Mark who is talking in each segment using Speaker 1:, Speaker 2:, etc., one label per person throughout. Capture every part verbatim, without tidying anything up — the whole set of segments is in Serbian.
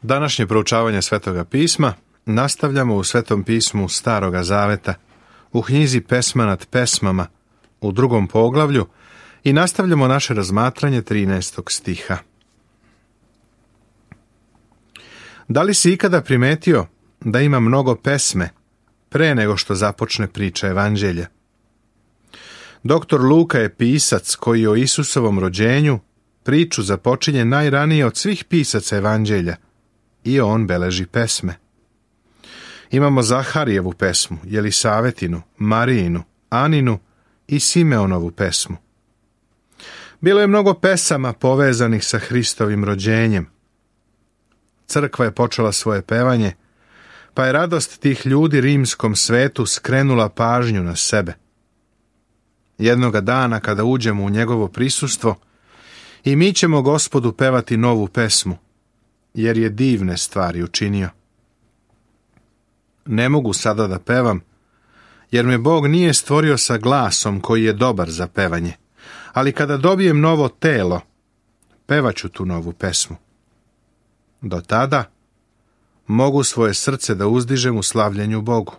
Speaker 1: Današnje proučavanje Svetoga pisma nastavljamo u Svetom pismu Staroga Zaveta, u knjizi Pesma nad pesmama, u drugom poglavlju, i nastavljamo naše razmatranje trinaestog stiha. Da li si ikada primetio da ima mnogo pesme pre nego što započne priča Evanđelja? Doktor Luka je pisac koji o Isusovom rođenju priču započinje najranije od svih pisaca Evanđelja i on beleži pesme. Imamo Zaharijevu pesmu, Jelisavetinu, Marijinu, Aninu i Simeonovu pesmu. Bilo je mnogo pesama povezanih sa Hristovim rođenjem. Crkva je počela svoje pevanje, pa je radost tih ljudi rimskom svetu skrenula pažnju na sebe. Jednoga dana kada uđemo u njegovo prisustvo, i mi ćemo Gospodu pevati novu pesmu, jer je divne stvari učinio. Ne mogu sada da pevam, jer me Bog nije stvorio sa glasom koji je dobar za pevanje, ali kada dobijem novo telo, pevaću tu novu pesmu. Do tada mogu svoje srce da uzdižem u slavljenju Bogu.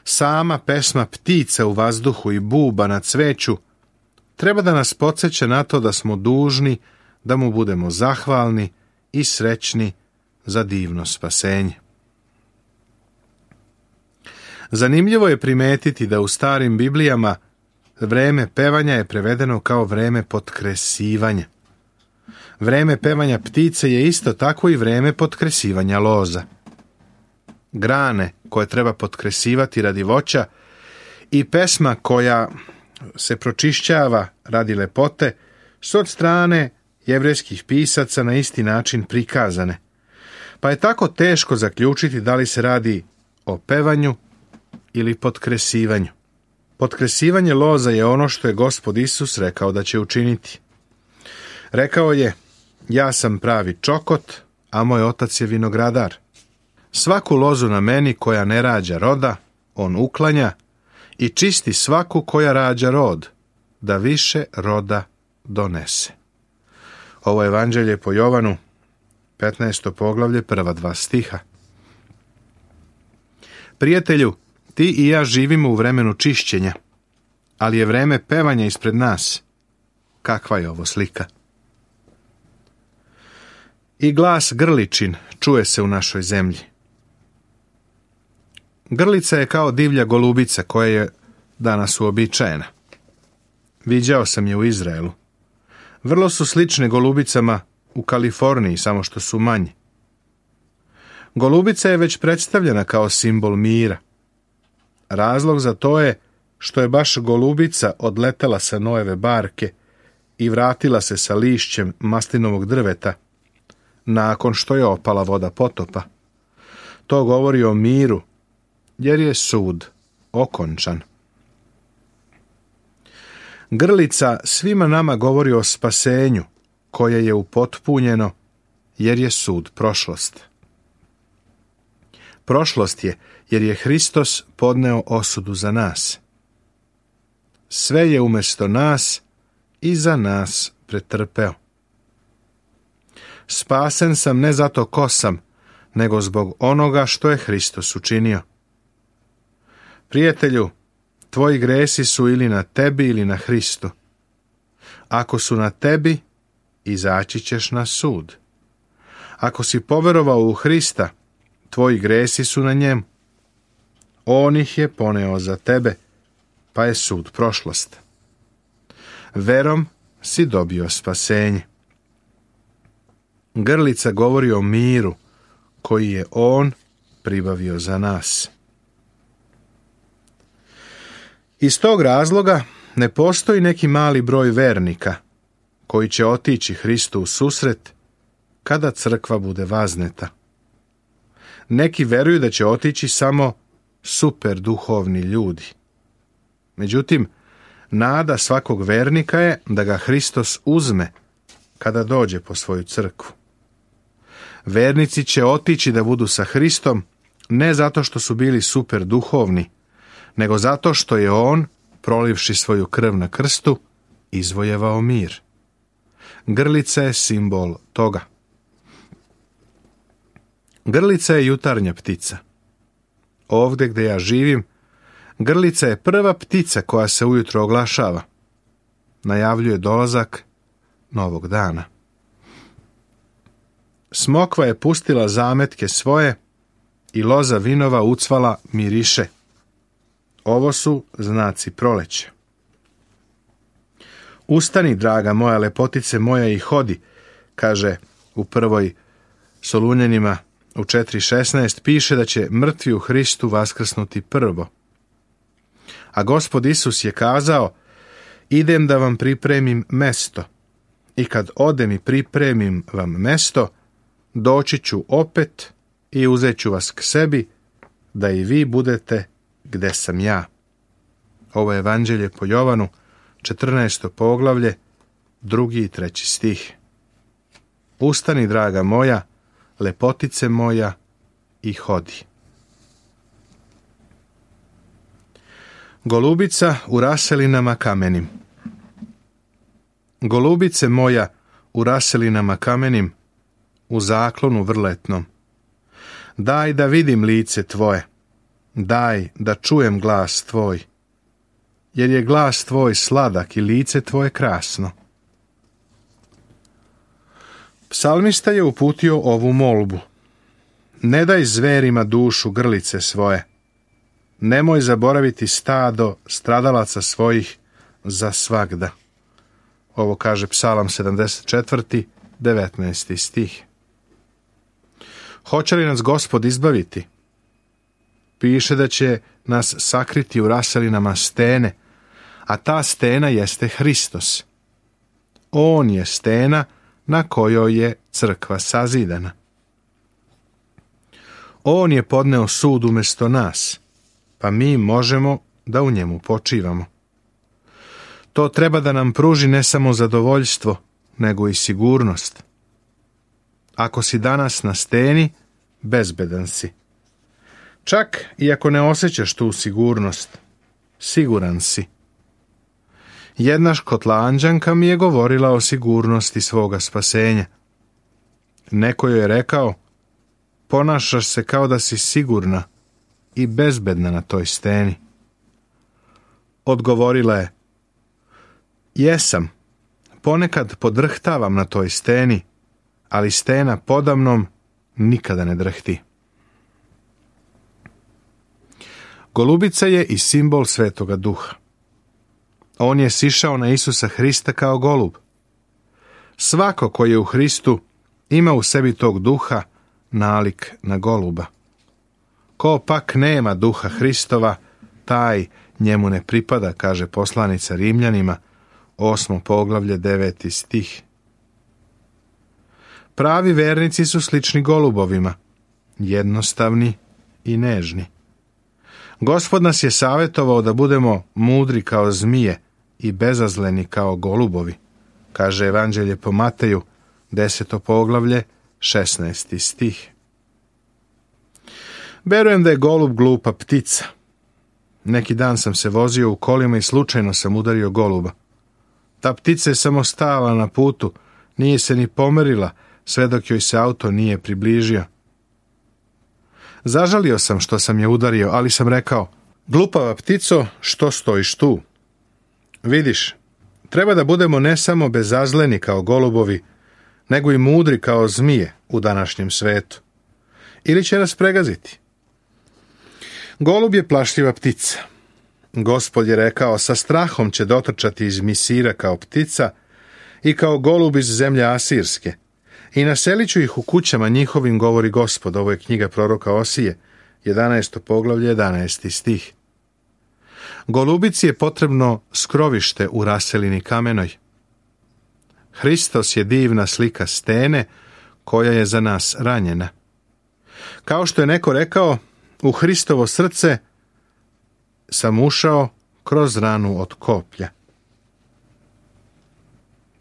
Speaker 1: Sama pesma ptica u vazduhu i buba na cveću treba da nas podsjeća na to da smo dužni da mu budemo zahvalni i srećni za divno spasenje. Zanimljivo je primetiti da u starim Biblijama vreme pevanja je prevedeno kao vreme potkresivanja. Vreme pevanja ptice je isto tako i vreme potkresivanja loza. Grane koje treba potkresivati radi voća i pesma koja se pročišćava radi lepote su od strane jevrejskih pisaca na isti način prikazane. Pa je tako teško zaključiti da li se radi o pevanju ili potkresivanju. Potkresivanje loza je ono što je Gospod Isus rekao da će učiniti. Rekao je: ja sam pravi čokot, a moj otac je vinogradar. Svaku lozu na meni koja ne rađa roda, on uklanja i čisti svaku koja rađa rod, da više roda donese. Ovo je Evanđelje po Jovanu, petnaesto poglavlje, prva dva stiha. Prijatelju, ti i ja živimo u vremenu čišćenja, ali je vreme pevanja ispred nas. Kakva je ovo slika? I glas grličin čuje se u našoj zemlji. Grlica je kao divlja golubica koja je danas uobičajena. Viđao sam je u Izraelu. Vrlo su slične golubicama u Kaliforniji, samo što su manje. Golubica je već predstavljena kao simbol mira. Razlog za to je što je baš golubica odletela sa Noeve barke i vratila se sa lišćem maslinovog drveta nakon što je opala voda potopa. To govori o miru, jer je sud okončan. Grlica svima nama govori o spasenju koje je upotpunjeno, jer je sud prošlost. Prošlost je jer je Hristos podneo osudu za nas. Sve je umjesto nas i za nas pretrpeo. Spasen sam ne zato ko sam, nego zbog onoga što je Hristos učinio. Prijatelju, tvoji gresi su ili na tebi ili na Hristu. Ako su na tebi, izaći ćeš na sud. Ako si poverovao u Hrista, tvoji gresi su na njemu. On ih je poneo za tebe, pa je sud prošlost. Verom si dobio spasenje. Grlica govori o miru koji je on pribavio za nas. Iz tog razloga ne postoji neki mali broj vernika koji će otići Hristu u susret kada crkva bude vazneta. Neki veruju da će otići samo super duhovni ljudi. Međutim, nada svakog vernika je da ga Hristos uzme kada dođe po svoju crkvu. Vernici će otići da budu sa Hristom ne zato što su bili super duhovni, nego zato što je on, prolivši svoju krv na krstu, izvojevao mir. Grlica je simbol toga. Grlica je jutarnja ptica. Ovdje gdje ja živim, grlica je prva ptica koja se ujutro oglašava. Najavljuje dolazak novog dana. Smokva je pustila zametke svoje i loza vinova ucvala miriše. Ovo su znaci proleća. Ustani, draga moja, lepotice moja, i hodi, kaže u prvoj Solunjanima u četiri šesnaest, piše da će mrtvi u Hristu vaskrsnuti prvo. A Gospod Isus je kazao, idem da vam pripremim mesto, i kad odem i pripremim vam mesto, doći ću opet i uzet ću vas k sebi, da i vi budete gde sam ja. Ovo je Evanđelje po Jovanu, četrnaesto poglavlje, drugi i treći stih. Ustani, draga moja, lepotice moja, i hodi. Golubica u raselinama kamenim. Golubice moja u raselinama kamenim, u zaklonu vrletnom. Daj da vidim lice tvoje, daj da čujem glas tvoj, jer je glas tvoj sladak i lice tvoje krasno. Psalmista je uputio ovu molbu. Ne daj zverima dušu grlice svoje, nemoj zaboraviti stado stradalaca svojih za svagda. Ovo kaže Psalam sedamdeset četvrti, devetnaesti stih. Hoće li nas Gospod izbaviti? Piše da će nas sakriti u raselinama stene, a ta stena jeste Hristos. On je stena na kojoj je crkva sazidana. On je podneo sud umjesto nas, pa mi možemo da u njemu počivamo. To treba da nam pruži ne samo zadovoljstvo, nego i sigurnost. Ako si danas na steni, bezbedan si. Čak i ako ne osjećaš tu sigurnost, siguran si. Jedna Škotlanđanka mi je govorila o sigurnosti svoga spasenja. Neko joj je rekao, ponašaš se kao da si sigurna i bezbedna na toj steni. Odgovorila je, jesam, ponekad podrhtavam na toj steni, ali stena podamnom nikada ne drhti. Golubica je i simbol Svetoga Duha. On je sišao na Isusa Hrista kao golub. Svako koji je u Hristu ima u sebi tog duha nalik na goluba. Ko pak nema duha Hristova, taj njemu ne pripada, kaže poslanica Rimljanima, osmo poglavlje, deveti stih. Pravi vernici su slični golubovima, jednostavni i nežni. Gospod nas je savjetovao da budemo mudri kao zmije i bezazleni kao golubovi, kaže Evanđelje po Mateju, deseto poglavlje, šesnaesti stih. Verujem da je golub glupa ptica. Neki dan sam se vozio u kolima i slučajno sam udario goluba. Ta ptica je samo stala na putu, nije se ni pomerila, sve dok joj se auto nije približio. Zažalio sam što sam je udario, ali sam rekao, glupava ptico, što stojiš tu? Vidiš, treba da budemo ne samo bezazleni kao golubovi, nego i mudri kao zmije u današnjem svetu. Ili će nas pregaziti. Golub je plašljiva ptica. Gospod je rekao, sa strahom će dotrčati iz Misira kao ptica i kao golub iz zemlje Asirske. I naselit ću ih u kućama njihovim, govori Gospod. Ovo je knjiga proroka Osije, jedanaesto poglavlje, jedanaesti stih. Golubici je potrebno skrovište u raselini kamenoj. Hristos je divna slika stene koja je za nas ranjena. Kao što je neko rekao, u Hristovo srce sam ušao kroz ranu od koplja.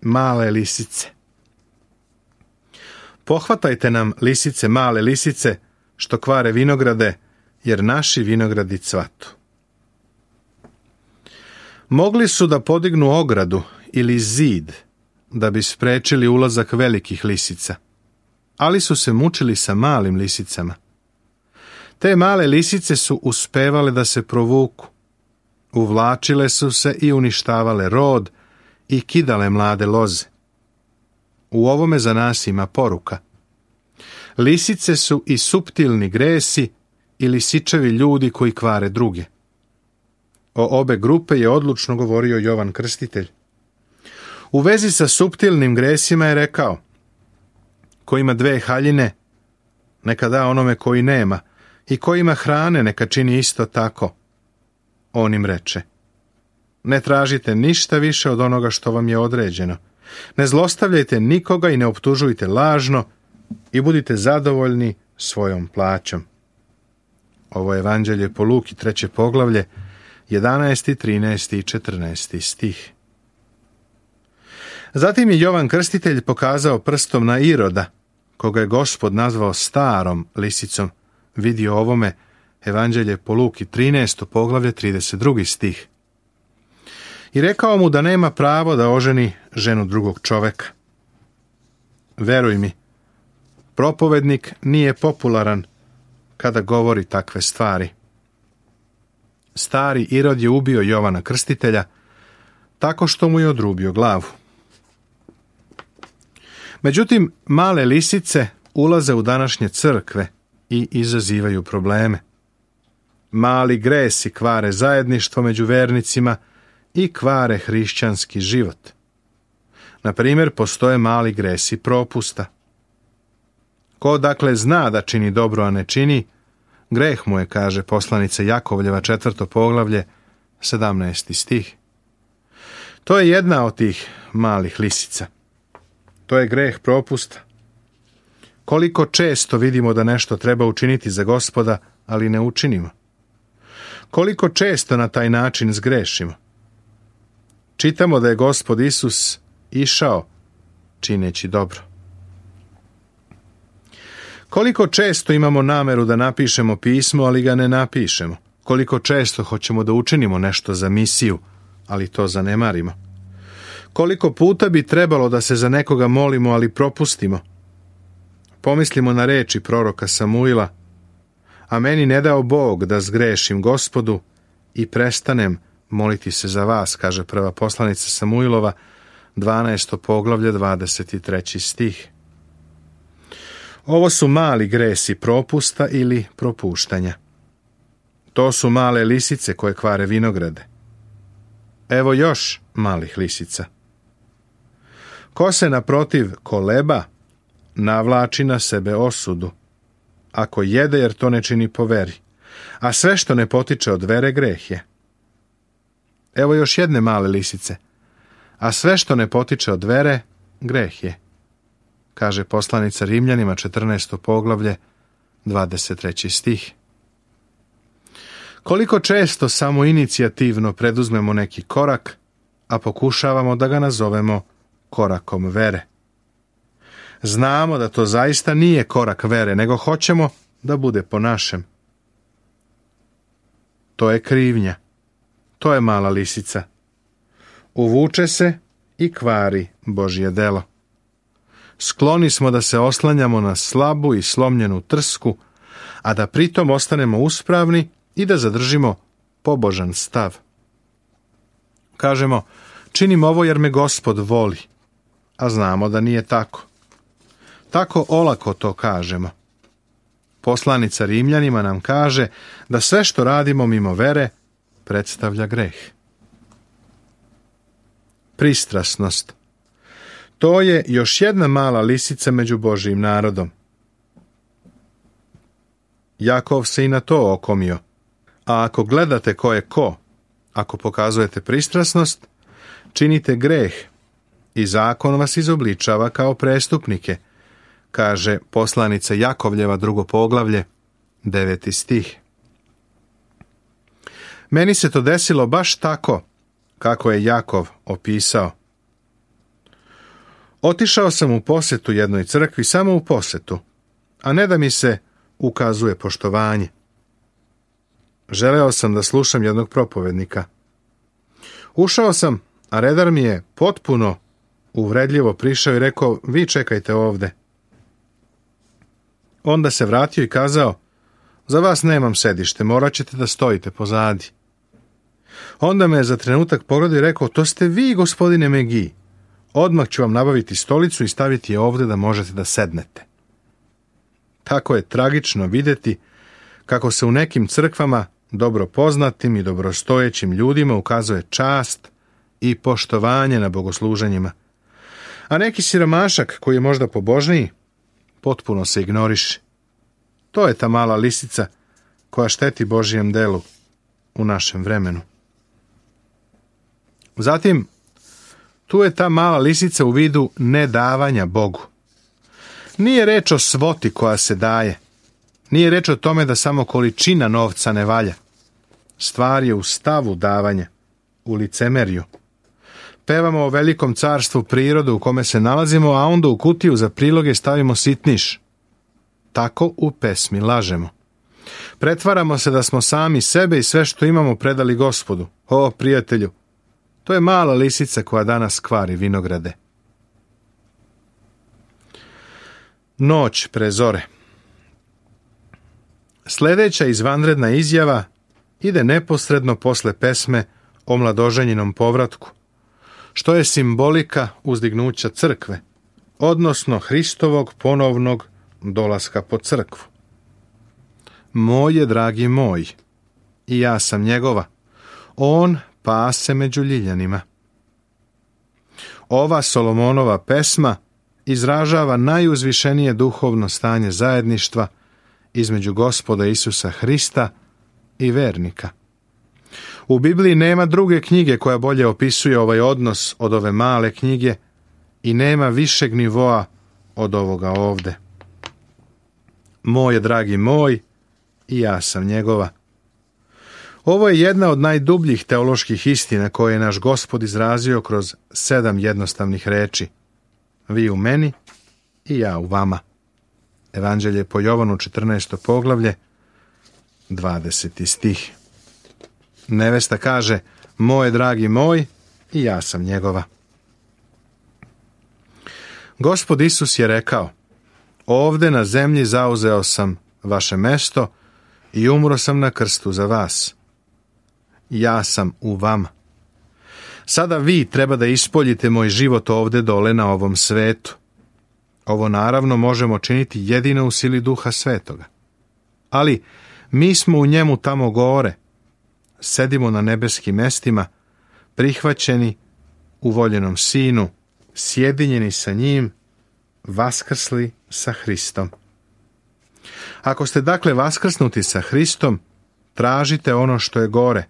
Speaker 1: Male lisice. Pohvatajte nam, lisice, male lisice, što kvare vinograde, jer naši vinogradi cvatu. Mogli su da podignu ogradu ili zid, da bi sprečili ulazak velikih lisica. ali su se mučili sa malim lisicama. Te male lisice su uspevale da se provuku. Uvlačile su se i uništavale rod i kidale mlade loze. U ovome za nas ima poruka. Lisice su i suptilni gresi i lisičevi ljudi koji kvare druge. O obe grupe je odlučno govorio Jovan Krstitelj. U vezi sa suptilnim gresima je rekao: ko ima dve haljine, neka da onome koji nema, i ko ima hrane, neka čini isto tako. On im reče: ne tražite ništa više od onoga što vam je određeno. Ne zlostavljajte nikoga i ne optužujte lažno i budite zadovoljni svojom plaćom. Ovo je Evanđelje po Luki, treće poglavlje, jedanaesti, trinaesti i četrnaesti stih. Zatim je Jovan Krstitelj pokazao prstom na Iroda, koga je Gospod nazvao starom lisicom. Vidi o ovome Evanđelje po Luki, trinaesto poglavlje, trideset drugi stih. I rekao mu da nema pravo da oženi ženu drugog čoveka. Veruj mi, propovednik nije popularan kada govori takve stvari. Stari Irod je ubio Jovana Krstitelja tako što mu je odrubio glavu. Međutim, male lisice ulaze u današnje crkve i izazivaju probleme. Mali gresi kvare zajedništvo među vernicima i kvare hrišćanski život. Na primjer, postoje mali gresi propusta. Ko dakle zna da čini dobro, a ne čini, greh mu je, kaže poslanica Jakovljeva, četvrto poglavlje, sedamnaesti stih. To je jedna od tih malih lisica. To je greh propusta. Koliko često vidimo da nešto treba učiniti za Gospoda, ali ne učinimo. Koliko često na taj način zgrešimo. Čitamo da je Gospod Isus išao čineći dobro. Koliko često imamo nameru da napišemo pismo, ali ga ne napišemo. Koliko često hoćemo da učinimo nešto za misiju, ali to zanemarimo. Koliko puta bi trebalo da se za nekoga molimo, ali propustimo. Pomislimo na reči proroka Samuila: a meni ne dao Bog da zgrešim Gospodu i prestanem moliti se za vas, kaže prva poslanica Samuilova, dvanaesto poglavlje, dvadeset treći stih. Ovo su mali gresi propusta ili propuštanja. To su male lisice koje kvare vinograde. Evo još malih lisica. Ko se naprotiv koleba, navlači na sebe osudu. Ako jede, jer to ne čini po veri, a sve što ne potiče od vere greh je. Evo još jedne male lisice. A sve što ne potiče od vere greh je, kaže poslanica Rimljanima, četrnaesto poglavlje, dvadeset treći stih. Koliko često samo inicijativno preduzmemo neki korak, a pokušavamo da ga nazovemo korakom vere. Znamo da to zaista nije korak vere, nego hoćemo da bude po našem. To je krivnja. To je mala lisica. Uvuče se i kvari Božje delo. Skloni smo da se oslanjamo na slabu i slomljenu trsku, a da pritom ostanemo uspravni i da zadržimo pobožan stav. Kažemo: činim ovo jer me Gospod voli, a znamo da nije tako. Tako olako to kažemo. Poslanica Rimljanima nam kaže da sve što radimo mimo vere predstavlja greh. Pristrasnost. To je još jedna mala lisica među Božjim narodom. Jakov se i na to okomio. A ako gledate ko je ko, ako pokazujete pristrasnost, činite greh i zakon vas izobličava kao prestupnike, kaže poslanica Jakovljeva, drugo poglavlje, deveti stih. Meni se to desilo baš tako kako je Jakov opisao. Otišao sam u posetu jednoj crkvi, samo u posetu, a ne da mi se ukazuje poštovanje. Želeo sam da slušam jednog propovednika. Ušao sam, a redar mi je potpuno uvredljivo prišao i rekao: vi čekajte ovde. Onda se vratio i kazao: za vas nemam sedište, morat ćete da stojite pozadi. Onda me je za trenutak pogledao i rekao: to ste vi, gospodine Megi. Odmah ću vam nabaviti stolicu i staviti je ovdje da možete da sednete. Tako je tragično vidjeti kako se u nekim crkvama dobro poznatim i dobrostojećim ljudima ukazuje čast i poštovanje na bogosluženjima. A neki siromašak koji je možda pobožniji, potpuno se ignoriše. To je ta mala lisica koja šteti Božijem delu u našem vremenu. Zatim, tu je ta mala lisica u vidu nedavanja Bogu. Nije reč o svoti koja se daje. Nije reč o tome da samo količina novca ne valja. Stvar je u stavu davanja, u licemerju. Pevamo o velikom carstvu prirode u kome se nalazimo, a onda u kutiju za priloge stavimo sitniš. Tako u pesmi lažemo. Pretvaramo se da smo sami sebe i sve što imamo predali Gospodu. O, prijatelju, to je mala lisica koja danas kvari vinograde. Noć pre zore. Sljedeća izvanredna izjava ide neposredno posle pesme o mladoženjinom povratku, što je simbolika uzdignuća crkve, odnosno Hristovog ponovnog dolaska po crkvu. Moj je dragi moj, i ja sam njegova, on pase među ljiljanima. Ova Solomonova pesma izražava najuzvišenije duhovno stanje zajedništva između Gospoda Isusa Hrista i vernika. U Bibliji nema druge knjige koja bolje opisuje ovaj odnos od ove male knjige i nema višeg nivoa od ovoga ovde. Moj je dragi moj, i ja sam njegova. Ovo je jedna od najdubljih teoloških istina koje je naš Gospod izrazio kroz sedam jednostavnih reči. Vi u meni i ja u vama. Evanđelje po Jovanu, četrnaesto poglavlje, dvadeseti stih. Nevesta kaže: moj dragi moj, i ja sam njegova. Gospod Isus je rekao: ovde na zemlji zauzeo sam vaše mesto i umro sam na krstu za vas. Ja sam u vama. Sada vi treba da ispoljite moj život ovde dole na ovom svetu. Ovo naravno možemo činiti jedino u sili Duha Svetoga. Ali mi smo u njemu tamo gore. Sedimo na nebeskim mestima, prihvaćeni u voljenom Sinu, sjedinjeni sa njim, vaskrsli sa Hristom. Ako ste dakle vaskrsnuti sa Hristom, tražite ono što je gore,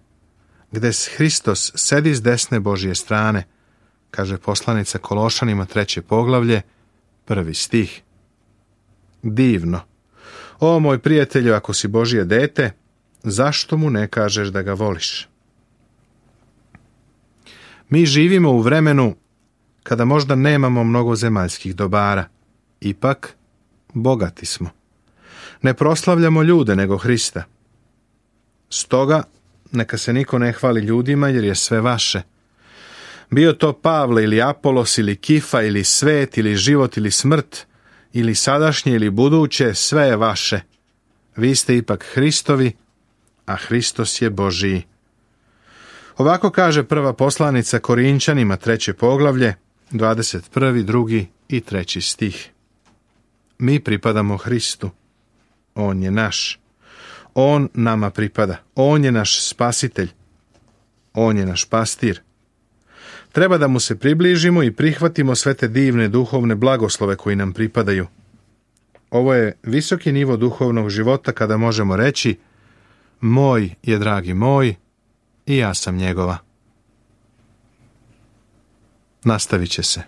Speaker 1: gde Hristos sedi s desne Božje strane, kaže poslanica Kološanima, treće poglavlje, prvi stih. Divno. O moj prijatelju, ako si Božje dete, zašto mu ne kažeš da ga voliš? Mi živimo u vremenu kada možda nemamo mnogo zemaljskih dobara. Ipak, bogati smo. Ne proslavljamo ljude, nego Hrista. Stoga, neka se niko ne hvali ljudima, jer je sve vaše. Bio to Pavle ili Apolos ili Kifa ili svet ili život ili smrt ili sadašnje ili buduće, sve je vaše. Vi ste ipak Hristovi, a Hristos je Božiji. Ovako kaže prva poslanica Korinčanima, treće poglavlje, dvadeset prvi, drugi i treći stih. Mi pripadamo Hristu. On je naš. On nama pripada. On je naš spasitelj. On je naš pastir. Treba da mu se približimo i prihvatimo sve te divne duhovne blagoslove koji nam pripadaju. Ovo je visoki nivo duhovnog života kada možemo reći: moj je dragi moj, i ja sam njegova. Nastavit će se.